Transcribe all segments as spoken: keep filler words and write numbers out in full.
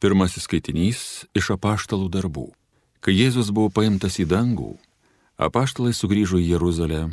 Pirmasis skaitinys iš apaštalų darbų. Kai Jėzus buvo paimtas į dangų, apaštalai sugrįžo į Jeruzalę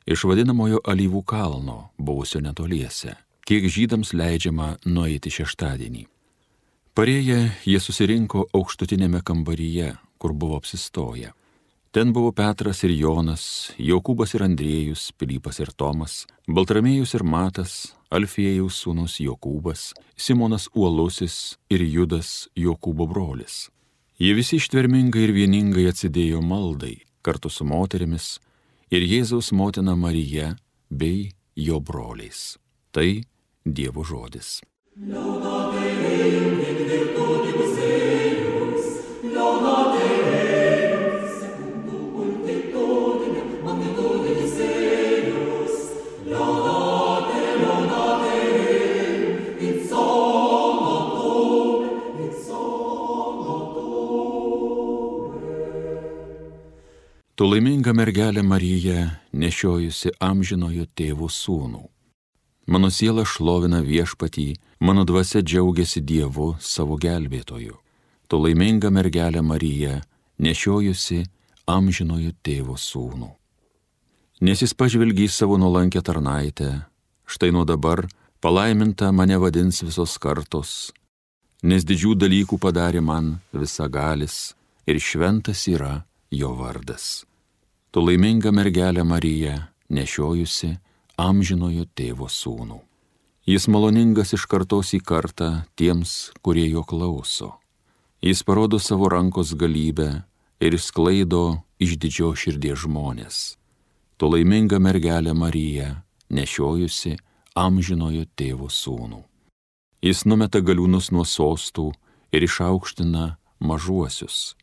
iš vadinamojo Alyvų kalno, buvusio netoliese, kiek žydams leidžiama nueiti šeštadienį. Parėję, jie susirinko aukštutinėme kambaryje, kur buvo apsistoję. Ten buvo Petras ir Jonas, Jokūbas ir Andriejus, Pilypas ir Tomas, Baltramiejus ir Matas, Alfiejaus sūnus Jokūbas, Simonas Uolusis ir Judas Jokūbo brolis. Jie visi ištvermingai ir vieningai atsidėjo maldai, kartu su moterimis ir Jėzaus motina Marija bei jo broliais. Tai Dievo žodis. Tu laiminga mergelė Marija, nešiojusi amžinojo tėvo sūnų. Mano siela šlovina Viešpatį, mano dvasia džiaugiasi Dievu savo gelbėtoju. Tu laiminga mergelė Marija, nešiojusi amžinojo tėvo sūnų. Nes jis pažvelgė į savo nuolankę tarnaitę, štai nuo dabar palaiminta mane vadins visos kartos, nes didžių dalykų padarė man visagalis ir šventas yra jo vardas. Tu laiminga mergelė Marija, nešiojusi amžinojo tėvo sūnų. Jis maloningas iš kartos į kartą tiems, kurie jo klauso. Jis parodo savo rankos galybę ir sklaido iš didžio širdies žmonės. Tu laiminga mergelė Marija, nešiojusi amžinojo tėvo sūnų. Jis numeta galiūnus nuo sostų ir išaukština mažuosius.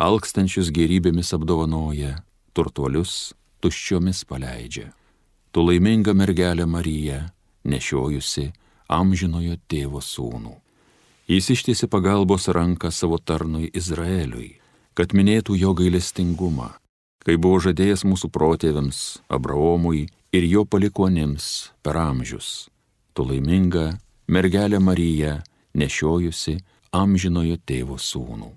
Alkstančius gėrybėmis apdovanoja, turtuolius tuščiomis paleidžia. Tu laiminga mergelė Marija, nešiojusi amžinojo tėvo sūnų. Jis ištiesė pagalbos ranką savo tarnui Izraeliui, kad minėtų jo gailestingumą, kai buvo žadėjęs mūsų protėviams, Abraomui ir jo palikuonims per amžius. Tu laiminga mergelė Marija, nešiojusi amžinojo tėvo sūnų.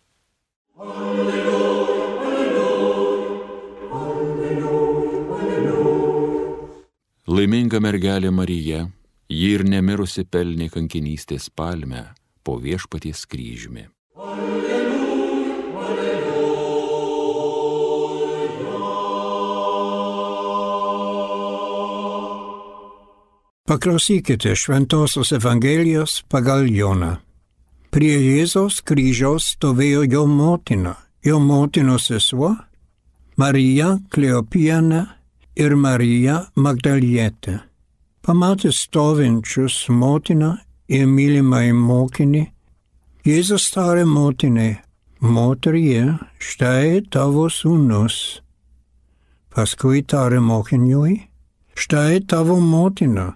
Laiminga mergelė Marija, ji ir nemirusi pelnė kankinystės palmę po Viešpaties kryžiumi. Alleluja, alleluja. Paklausykite Šventosios Evangelijos pagal Joną. Prie Jėzaus kryžiaus stovėjo jo motina, jo motinos sesuo, Marija Kleopienė ir Marija Magdalietė. Pamatęs stovinčius motiną ir mylimąjį mokinį, Jėzus tarė motinai, moterie, štai tavo sūnus. Paskui tarė mokiniui, štai tavo motina.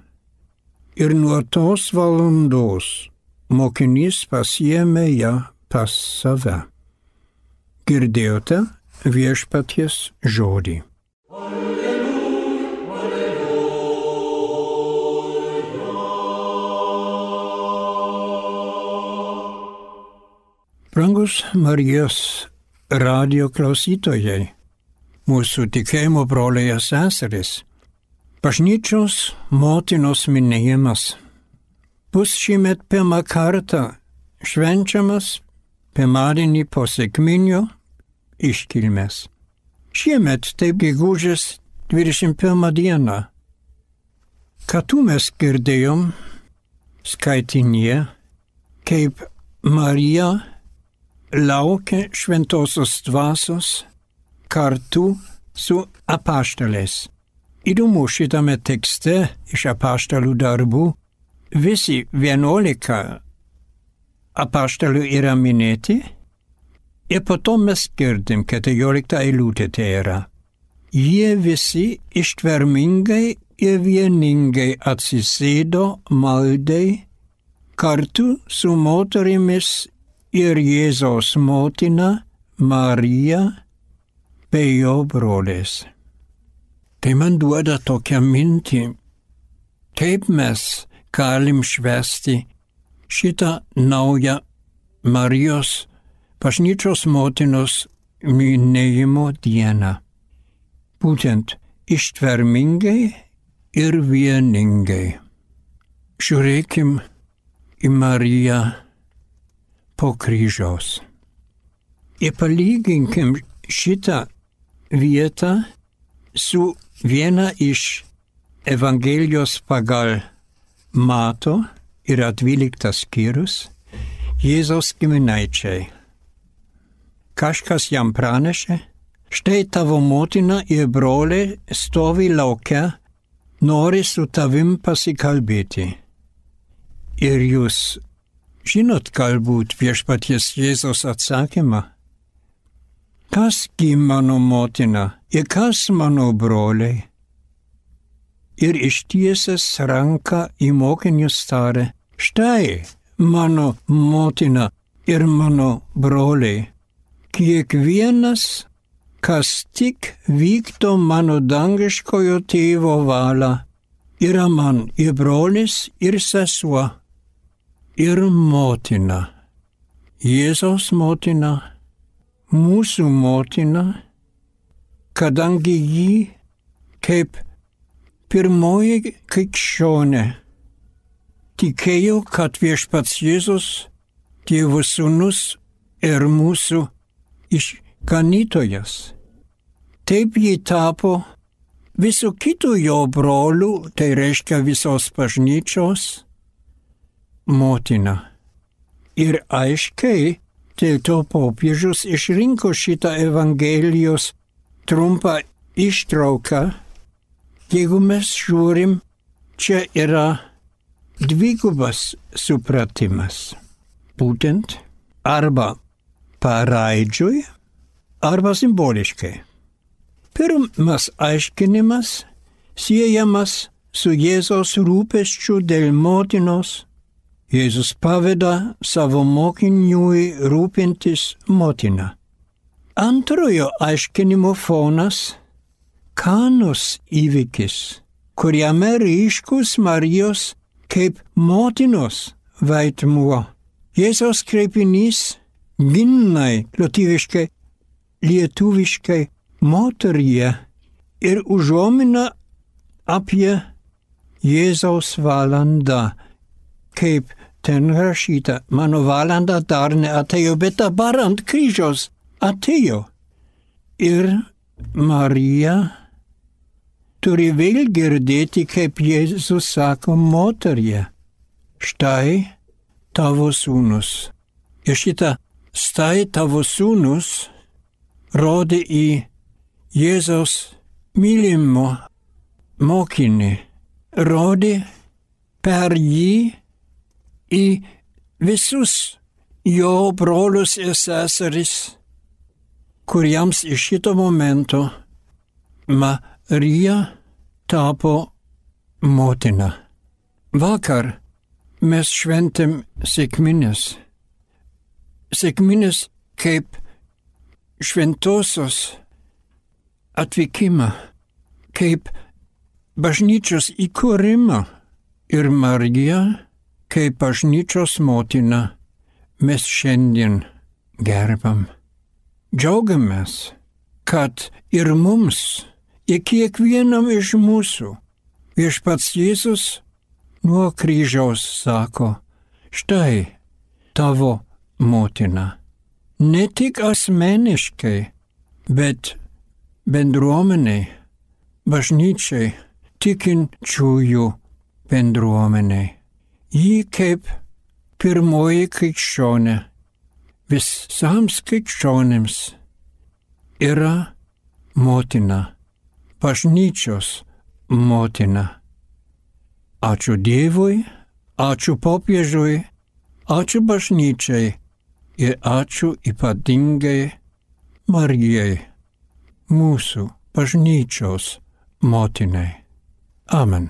Ir nuo tos valandos mokinys pasiėmė ją pas save. Girdėjote Viešpaties žodį. Brangus Marijos radijo klausytojai, mūsų tikėjimo broliai ir seserys, bažnyčios motinos minėjimas bus šįmet pirmą kartą švenčiamas pirmadienį po sekminių iškilmės. Šiemet taip gegužės dvidešimt pirmą dieną. Kartu mes girdėjom skaitinyje, kaip Marija laukia šventosios dvasios kartu su apaštalais. Įdomu, šitame tekste iš apaštalų darbų visi vienuolika apaštalų yra minėti ir po to mes girdim, keturiolikta eilutė tai yra. Jie visi ištvermingai ir vieningai atsisėdo maldai kartu su moterimis ir Jėzaus motina Marija bei jo broliais. Tai man duoda tokią mintį, kaip mes galim švęsti šitą naują Marijos bažnyčios motinos minėjimo dieną. Būtent ištvermingai ir vieningai. Žiūrėkim į Mariją po kryžiaus. Ir palyginkim šitą vietą su viena iš Evangelijos pagal Mato, yra dvyliktas skyrius, Jėzaus giminaičiai. Kažkas jam pranešė, štai tavo motina ir broliai stovi lauke, nori su tavim pasikalbėti. Ir jūs žinot galbūt viešpaties Jėzaus atsakymą. Kas gi mano motina ir kas mano broliai? Ir ištiesęs ranką į mokinius tarė, štai mano motina ir mano broliai. Kiekvienas, kas tik vykdo mano dangiškojo tėvo valią, yra man ir brolis, ir sesuo, ir motina. Jėzaus motina, mūsų motina, kadangi jį kaip pirmoji krikščionė tikėjo, kad viešpats Jėzus, Dievo sūnus ir mūsų išganytojas. Taip jį tapo visų kitų jo brolių, tai reiškia visos bažnyčios, motina. Ir aiškiai, dėl to popiežius išrinko šitą Evangelijos trumpą ištrauką. Jeigu mes žiūrim, čia yra dvigubas supratimas. Būtent arba paraidžiui, arba simboliškai. Pirmas aiškinimas siejamas su Jėzaus rūpesčiu dėl motinos. Jėzus paveda savo mokiniui rūpintis motina. Antrojo aiškinimo fonas Kanos įvykis, kuriame ryškus Marijos kaip motinos vaidmuo. Jėzaus kreipinys ginnai, lietuviškai, lietuviškai moteryje ir užuomina apie Jėzaus valandą, kaip ten rašyta, mano valanda dar neatėjo, bet dabar ant kryžiaus atėjo. Ir Marija turi vėl girdėti, kaip Jėzus sako moterie, štai tavo sūnus. Ir šitą štai tavo sūnus rodė į Jėzaus mylimo mokinį, rodė per jį į visus jo brolius ir seseris, kuriems iš šito momento Marija tapo motina. Vakar mes šventėm sekmines. Sekmines kaip šventosios atvykimą, kaip bažnyčios įkūrimą. Ir Marija, kaip bažnyčios motina, mes šiandien gerbam. Džiaugiamės, kad ir mums, ir kiekvienam iš mūsų viešpats Jėzus nuo kryžiaus sako, štai tavo motina. Ne tik asmeniškai, bet bendruomeniai, bažnyčiai, tikinčiųjų bendruomeniai. Ji kaip pirmoji krikščionė visams krikščionims yra motina, bažnyčios motina. Ačiū Dievui, ačiū popiežiui, ačiū bažnyčiai ir ačiū ypatingai Marijai, mūsų bažnyčios motinai. Amen.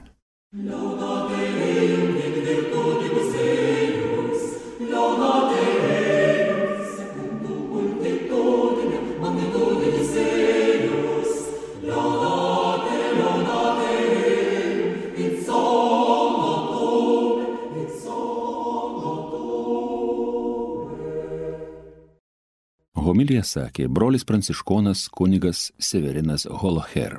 Homiliją sakė brolis pranciškonas kunigas Severinas Holoher.